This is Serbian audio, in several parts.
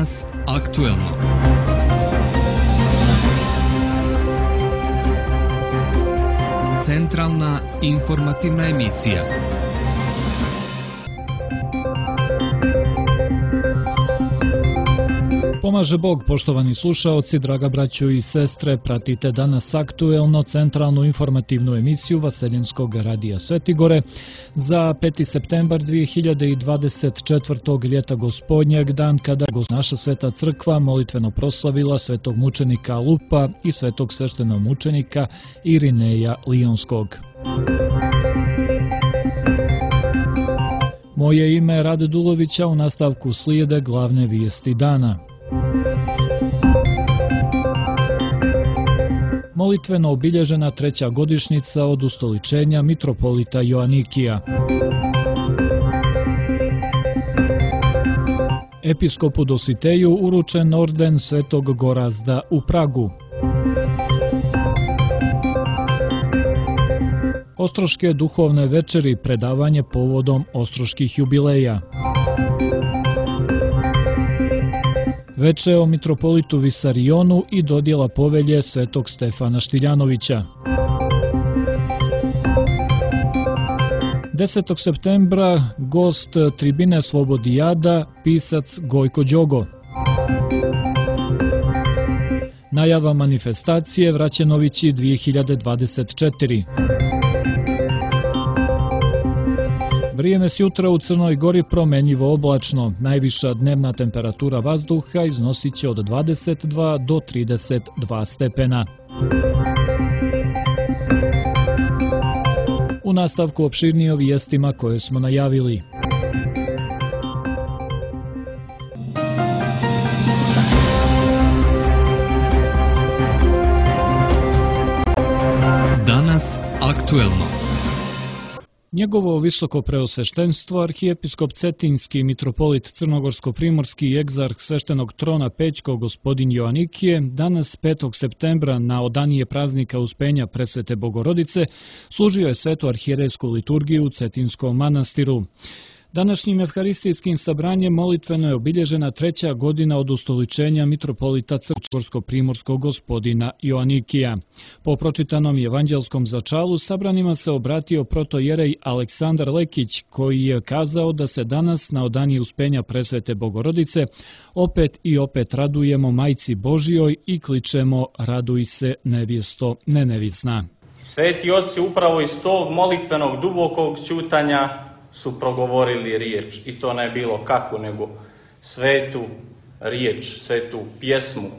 Danas aktuelno. Centralna informativna emisija. Pomaže Bog, poštovani slušaoci, draga braćo i sestre, pratite danas aktuelno centralnu informativnu emisiju Vaseljenskog radija Svetigore za 5. septembar 2024. ljeta gospodnjeg, dan kada naša sveta crkva molitveno proslavila svetog mučenika Lupa i svetog sveštenog mučenika Irineja Lionskog. Moje ime je Rade Dulovića, u nastavku slijede glavne vijesti dana. Molitveno obilježena 3. godišnjica od ustoličenja mitropolita Joanikija. Episkopu Dositeju uručen orden Svetog Gorazda u Pragu. Ostroške duhovne večeri, predavanje povodom ostroških jubileja. Veče o mitropolitu Visarionu i dodjela povelje svetog Stefana Štiljanovića. 10. septembra gost tribine Slobodijada, pisac Gojko Đogo. Najava manifestacije Vraćenovići 2024. Vrijeme s jutra u Crnoj Gori promenljivo oblačno. Najviša dnevna temperatura vazduha iznosit će od 22 do 32 stepena. U nastavku opširnije o vijestima koje smo najavili. Danas aktuelno. Njegovo visoko preosveštenstvo, arhijepiskop Cetinjski, mitropolit Crnogorsko-primorski i egzarh sveštenog trona Pećko gospodin Joanikije, danas 5. septembra na odanije praznika Uspenja Presvete Bogorodice, služio je svetu arhijerejsku liturgiju u Cetinjskom manastiru. Današnjim evharistijskim sabranjem molitveno je obilježena 3. godina od ustoličenja mitropolita Crnogorsko-primorskog gospodina Joanikija. Po pročitanom evanđelskom začalu sabranima se obratio protojerej Aleksandar Lekić, koji je kazao da se danas na odanije Uspenja Presvete Bogorodice opet i opet radujemo Majci Božijoj i kličemo raduj se nevjesto nenevisna. Sveti oci upravo iz tog molitvenog dubokog ćutanja su progovorili riječ, i to ne bilo kakvu, nego svetu riječ, svetu pjesmu,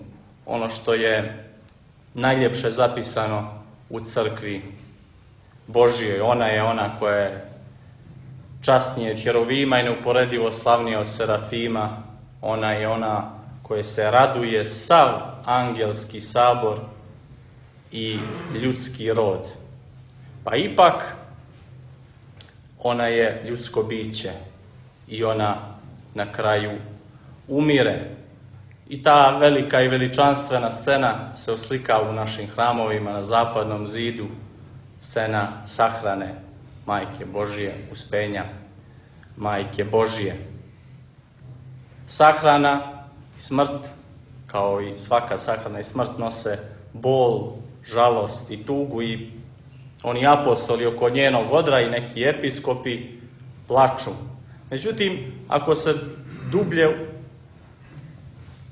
ono što je najljepše zapisano u crkvi Božijoj. Ona je ona koja je časnije od Herovima i neuporedivo slavnija od Serafima. Ona je ona koja se raduje sav angelski sabor i ljudski rod. Pa ipak ona je ljudsko biće i ona na kraju umire. I ta velika i veličanstvena scena se oslika u našim hramovima na zapadnom zidu, scena sahrane Majke Božije, Uspenja Majke Božije. Sahrana i smrt, kao i svaka sahrana i smrt, nose bol, žalost i tugu, i oni apostoli oko njenog odra i neki episkopi plaču. Međutim, ako se dublje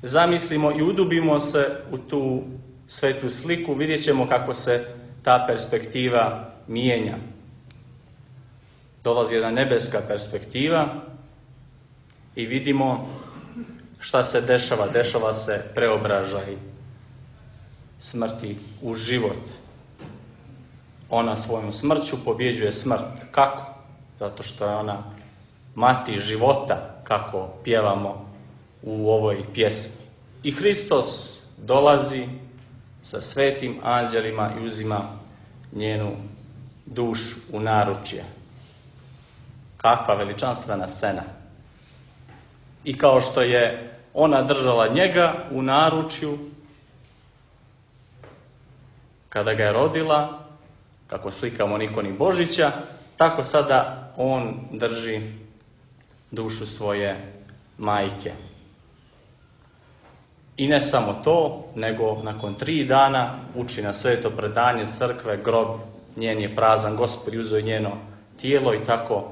zamislimo i udubimo se u tu svetu sliku, vidjet ćemo kako se ta perspektiva mijenja. Dolazi jedna nebeska perspektiva i vidimo šta se dešava. Dešava se preobražaj smrti u život. Ona svojom smrću pobjeđuje smrt. Kako? Zato što je ona mati života, kako pjevamo u ovoj pjesmi. I Hristos dolazi sa svetim anđelima i uzima njenu dušu u naručje. Kakva veličanstvena scena. I kao što je ona držala njega u naručju kada ga je rodila, kako slikamo Nikoni Božića, tako sada on drži dušu svoje majke. I ne samo to, nego nakon 3 dana uči na sveto predanje crkve, grob njen je prazan, Gospod je uzeo njeno tijelo i tako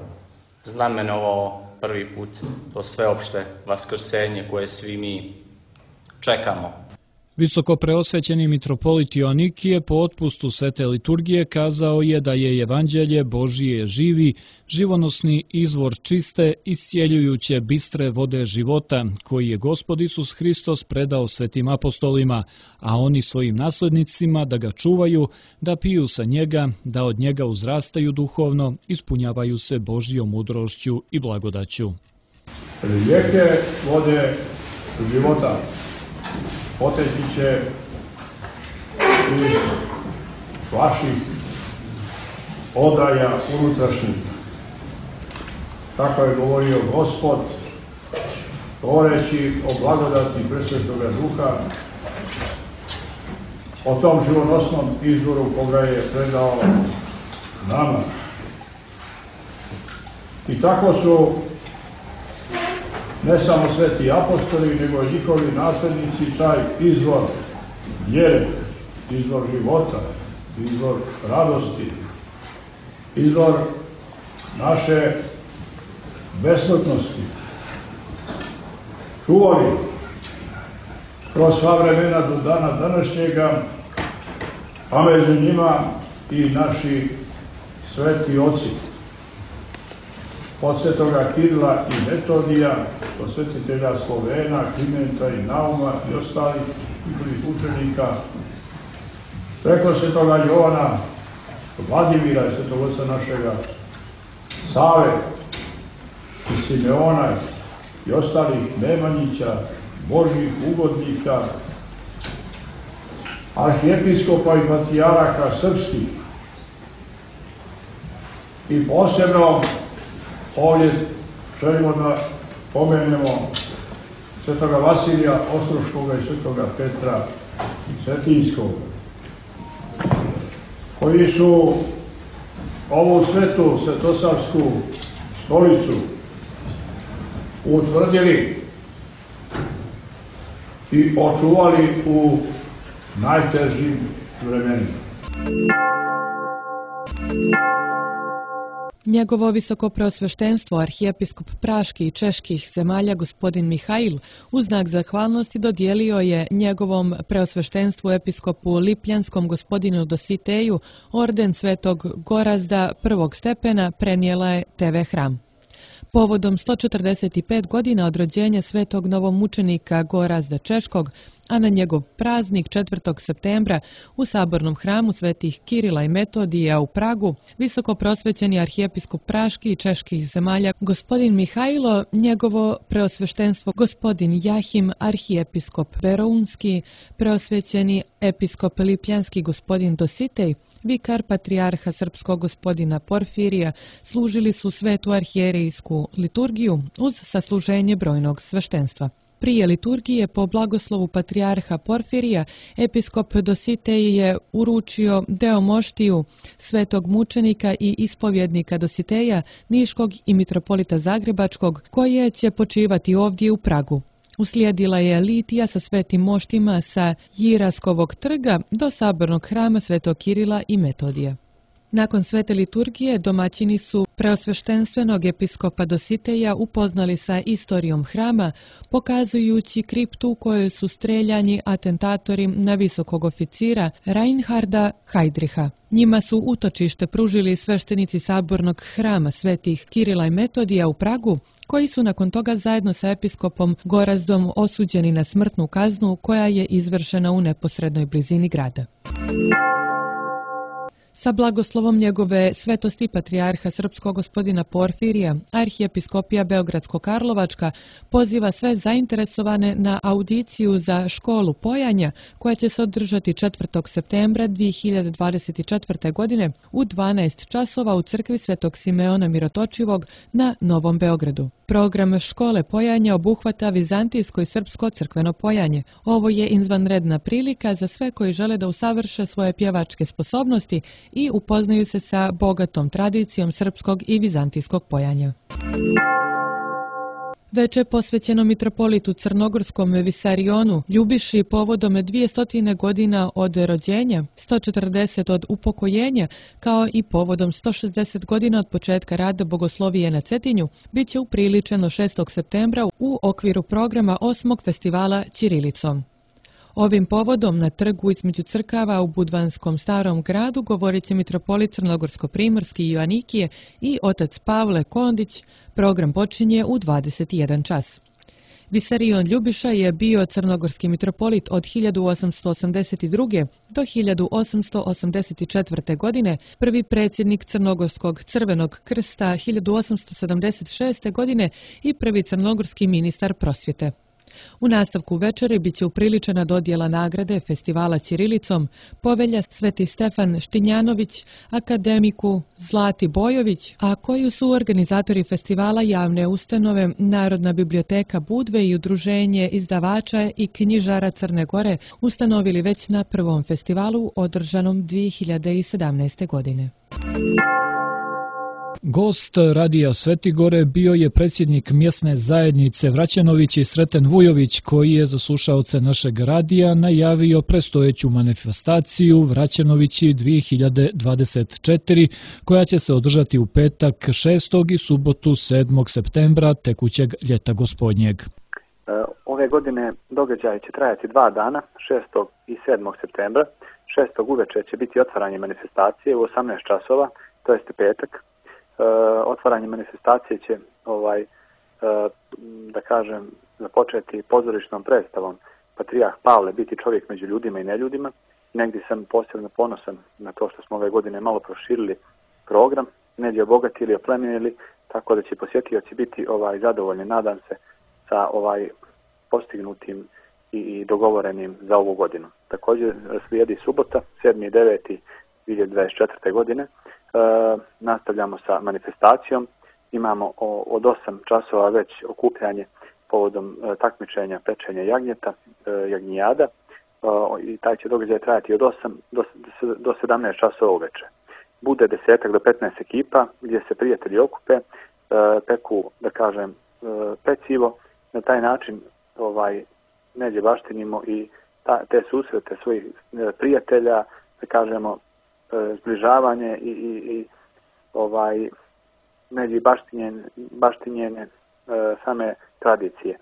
znamenovao prvi put to sveopšte vaskrsenje koje svi mi čekamo. Visoko preosvećeni mitropolit Joanikije po otpustu svete liturgije kazao je da je evanđelje Božije živi, živonosni izvor čiste, iscijeljujuće bistre vode života, koji je Gospod Isus Hristos predao svetim apostolima, a oni svojim naslednicima da ga čuvaju, da piju sa njega, da od njega uzrastaju duhovno, ispunjavaju se Božjom mudrošću i blagodaću. Rijeke vode života poteći će iz vaših odaja unutrašnjih. Tako je govorio Gospod, govoreći o blagodati Presvetoga Duha, o tom živonosnom izvoru koga je predao nama. I tako su ne samo sveti apostoli, nego i njihovi nasljednici taj izvor vjere, izvor života, izvor radosti, izvor naše besmrtnosti čuvali kroz sva vremena do dana današnjega, a među njima i naši sveti oci. Od svetoga Kirila i Metodija, od svetitelja Slovena, Klimenta i Nauma i ostalih njihovih učenika, preko svetoga Jovana, Vladimira i svetog oca našega, Save i Simeona i ostalih Nemanjića, Božjih ugodnika, arhijepiskopa i patrijaraka srpskih i posebno ovdje želimo da pomenemo svetoga Vasilija Ostroškoga i svetoga Petra Cetinjskog, koji su ovu svetu svetosavsku stolicu utvrdili i očuvali u najtežim vremenima. Njegovo visoko preosveštenstvo, arhijepiskop praških i čeških zemalja gospodin Mihail, u znak zahvalnosti dodijelio je njegovom preosveštenstvu episkopu Lipljanskom gospodinu Dositeju orden svetog Gorazda prvog stepena, prenijela je TV Hram. Povodom 145 godina od rođenja svetog novomučenika Gorazda Češkog, a na njegov praznik 4. septembra u sabornom hramu svetih Kirila i Metodija u Pragu, visoko prosvećeni arhijepiskop praških i čeških zemalja gospodin Mihajlo, njegovo preosveštenstvo gospodin Jahim, arhijepiskop Verounski, preosvećeni episkop Lipljanski gospodin Dositej, vikar patrijarha srpskog gospodina Porfirija, služili su svetu arhijerejsku liturgiju uz sasluženje brojnog sveštenstva. Prije liturgije po blagoslovu patrijarha Porfirija, episkop Dositej je uručio deo moštiju svetog mučenika i ispovjednika Dositeja, Niškog i mitropolita Zagrebačkog, koje će počivati ovdje u Pragu. Uslijedila je litija sa svetim moštima sa Jiraskovog trga do sabornog hrama svetog Kirila i Metodija. Nakon svete liturgije domaćini su preosveštenstvenog episkopa Dositeja upoznali sa istorijom hrama, pokazujući kriptu u kojoj su streljani atentatori na visokog oficira Reinharda Heydricha. Njima su utočište pružili sveštenici sabornog hrama svetih Kirila i Metodija u Pragu, koji su nakon toga zajedno sa episkopom Gorazdom osuđeni na smrtnu kaznu koja je izvršena u neposrednoj blizini grada. Sa blagoslovom njegove svetosti patrijarha srpskog gospodina Porfirija, arhijepiskopija Beogradsko-Karlovačka poziva sve zainteresovane na audiciju za školu pojanja koja će se održati 4. septembra 2024. godine u 12 časova u crkvi Svetog Simeona Mirotočivog na Novom Beogradu. Program škole pojanja obuhvata vizantijsko i srpsko crkveno pojanje. Ovo je izvanredna prilika za sve koji žele da usavrše svoje pjevačke sposobnosti i upoznaju se sa bogatom tradicijom srpskog i vizantijskog pojanja. Veče posvećeno mitropolitu crnogorskom Visarionu Ljubiši povodom 200 godina od rođenja, 140 od upokojenja, kao i povodom 160 godina od početka rada Bogoslovije na Cetinju, bit će upriličeno 6. septembra u okviru programa 8. festivala Ćirilicom. Ovim povodom na trgu između crkava u Budvanskom starom gradu govorit će mitropolit Crnogorsko-primorski Joanikije i otac Pavle Kondić. Program počinje u 21 čas. Visarion Ljubiša je bio crnogorski mitropolit od 1882. do 1884. godine, prvi predsjednik Crnogorskog crvenog krsta 1876. godine i prvi crnogorski ministar prosvjete. U nastavku večeri bit će upriličena dodjela nagrade festivala Ćirilicom povelja Sveti Stefan Štinjanović, akademiku Zlati Bojović, a koju su organizatori festivala javne ustanove Narodna biblioteka Budve i Udruženje izdavača i knjižara Crne Gore ustanovili već na prvom festivalu održanom 2017. godine. Gost Radija Svetigore bio je predsjednik mjesne zajednice Vraćenovići Sreten Vujović, koji je za slušaoce našeg radija najavio predstojeću manifestaciju Vraćenovići 2024, koja će se održati u petak 6. i subotu 7. septembra tekućeg ljeta gospodnjeg. Ove godine događaj će trajati 2 dana, 6. i 7. septembra. 6. uveče će biti otvaranje manifestacije u 18 časova, to jeste petak. Otvaranje manifestacije će započeti pozorišnom predstavom Patrijarh Pavle biti čovjek među ljudima i neljudima. Negdje sam posebno ponosan na to što smo ove godine malo proširili program, negdje obogatili, oplemenili, tako da će posjetioci biti zadovoljni, nadam se, sa postignutim i dogovorenim za ovu godinu. Također slijedi subota, 7. i 9. 2024. godine. Nastavljamo sa manifestacijom. Imamo od 8 časova već okupljanje povodom takmičenja pečenja jagnjeta, jagnjijada, i taj će događaj trajati od 8 do 17 časova uveče. Bude 10 do 15 ekipa gdje se prijatelji okupe, peku, pecivo. Na taj način neđe baštinimo i te susrete svojih prijatelja, zbližavanje i među baštinjenje same tradicije.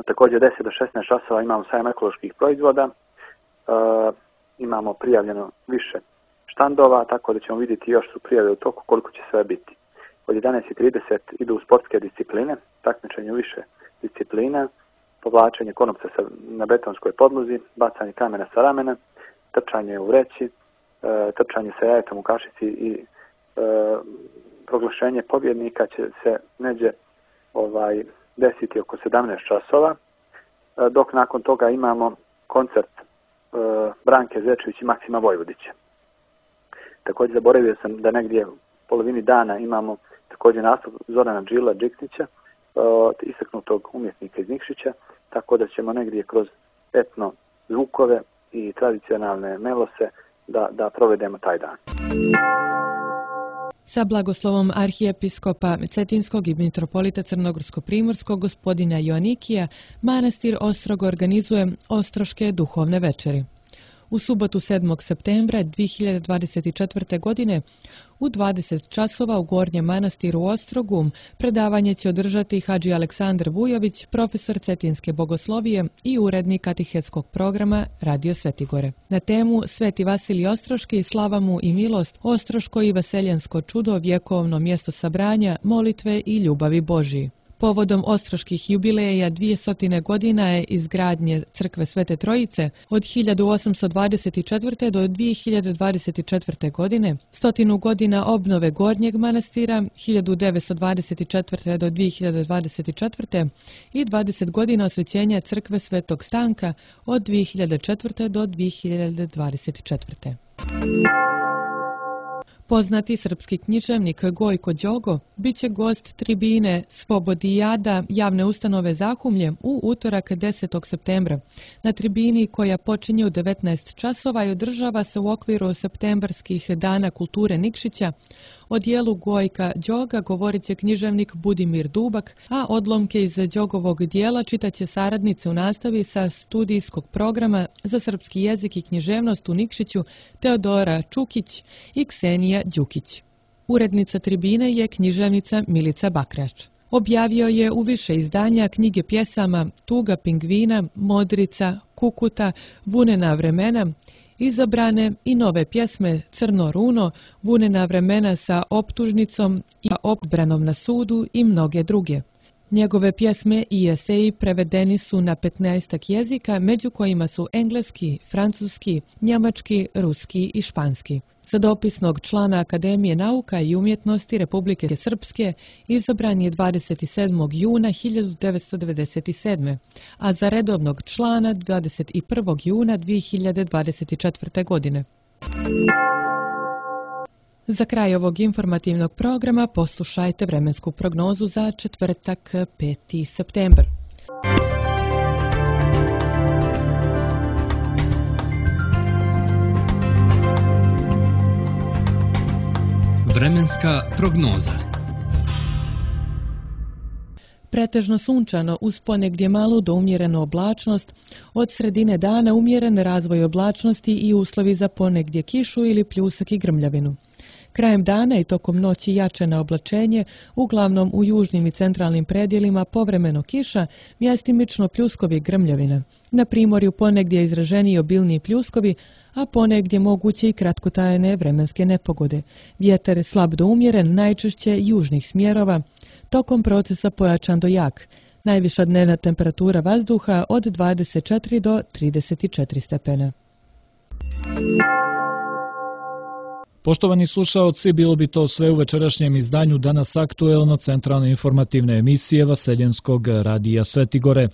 Također 10 do 16 časova imamo sajam ekoloških proizvoda, imamo prijavljeno više štandova, tako da ćemo vidjeti još su prijave u toku koliko će sve biti. Od 11:30 idu u sportske discipline, takmičenje u više disciplina, povlačenje konopca na betonskoj podlozi, bacanje kamena sa ramena, trčanje u vreći, trčanje sa jajetom u kašici i proglašenje pobjednika će se neđe desiti oko 17 časova, dok nakon toga imamo koncert Branke Zečević i Maksima Vojvodića. Također zaboravio sam da negdje u polovini dana imamo također nastup Zorana Džila Džiksnića, istaknutog umjetnika iz Nikšića, tako da ćemo negdje kroz etno zvukove i tradicionalne melose da provedemo taj dan. Sa blagoslovom arhijepiskopa Cetinskog i mitropolita Crnogorsko-primorskog gospodina Joanikija, manastir Ostrogo organizuje Ostroške duhovne večeri. U subotu 7. septembra 2024. godine u 20 časova u Gornjem manastiru Ostrogu predavanje će održati Hadži Aleksandar Vujović, profesor cetinske bogoslovije i urednik katehetskog programa Radio Svetigore. Na temu Sveti Vasilij Ostroški, slava mu i milost, Ostroško i vaseljansko čudo, vjekovno mjesto sabranja, molitve i ljubavi Božji. Povodom ostroških jubileja 200 godina je izgradnje crkve Svete Trojice od 1824. do 2024. godine, 100 godina obnove Gornjeg manastira 1924. do 2024. i 20 godina osvećenja crkve Svetog Stanka od 2004. do 2024. Poznati srpski književnik Gojko Đogo biće gost tribine Svobodijada javne ustanove Zahumlje u utorak 10. septembra. Na tribini koja počinje u 19 časova i održava se u okviru septembarskih dana kulture Nikšića. O dijelu Gojka Đoga govorit će književnik Budimir Dubak, a odlomke iz Đogovog dijela čitaće saradnice u nastavi sa studijskog programa za srpski jezik i književnost u Nikšiću Teodora Čukić i Ksenija Đukić. Urednica tribine je književnica Milica Bakrač. Objavio je u više izdanja knjige pjesama Tuga pingvina, Modrica, Kukuta, Vunena vremena, izabrane i nove pjesme Crno runo, Vunena vremena sa optužnicom i odbranom na sudu i mnoge druge. Njegove pjesme i eseji prevedeni su na 15 jezika, među kojima su engleski, francuski, njemački, ruski i španski. Za dopisnog člana Akademije nauka i umjetnosti Republike Srpske izabran je 27. juna 1997. a za redovnog člana 21. juna 2024. godine. Za kraj ovog informativnog programa poslušajte vremensku prognozu za četvrtak 5. septembar. Vremenska prognoza. Pretežno sunčano uz ponegdje malu do umjerenu oblačnost, od sredine dana umjeren razvoj oblačnosti i uslovi za ponegdje kišu ili pljusak i grmljavinu. Krajem dana i tokom noći jačeno oblačenje, uglavnom u južnim i centralnim predjelima povremeno kiša, mjestimično pljuskovi i grmljavina. Na primorju ponegdje izraženiji obilniji pljuskovi, a ponegdje moguće i kratkotrajne vremenske nepogode. Vjetar slab do umjeren, najčešće južnih smjerova, tokom procesa pojačan do jak. Najviša dnevna temperatura vazduha od 24 do 34 stepena. Poštovani slušaoci, bilo bi to sve u večerašnjem izdanju Danas aktuelno centralne informativne emisije Vaseljenskog radija Svetigore.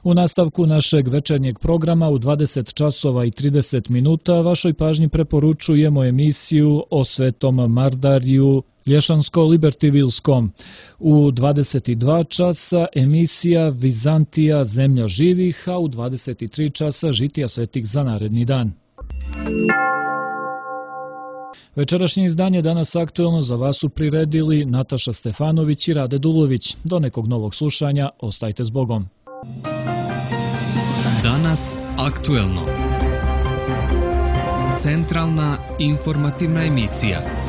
U nastavku našeg večernjeg programa u 20 časova i 30 minuta vašoj pažnji preporučujemo emisiju o Svetom Mardariju Lješansko-Libertivilskom. U 22 časa emisija Vizantija, zemlja živih, a u 23 časa žitija svetih za naredni dan. Večerašnje izdanje Danas aktuelno za vas su priredili Nataša Stefanović i Rade Dulović. Do nekog novog slušanja, ostajte s Bogom. Danas aktuelno. Centralna informativna emisija.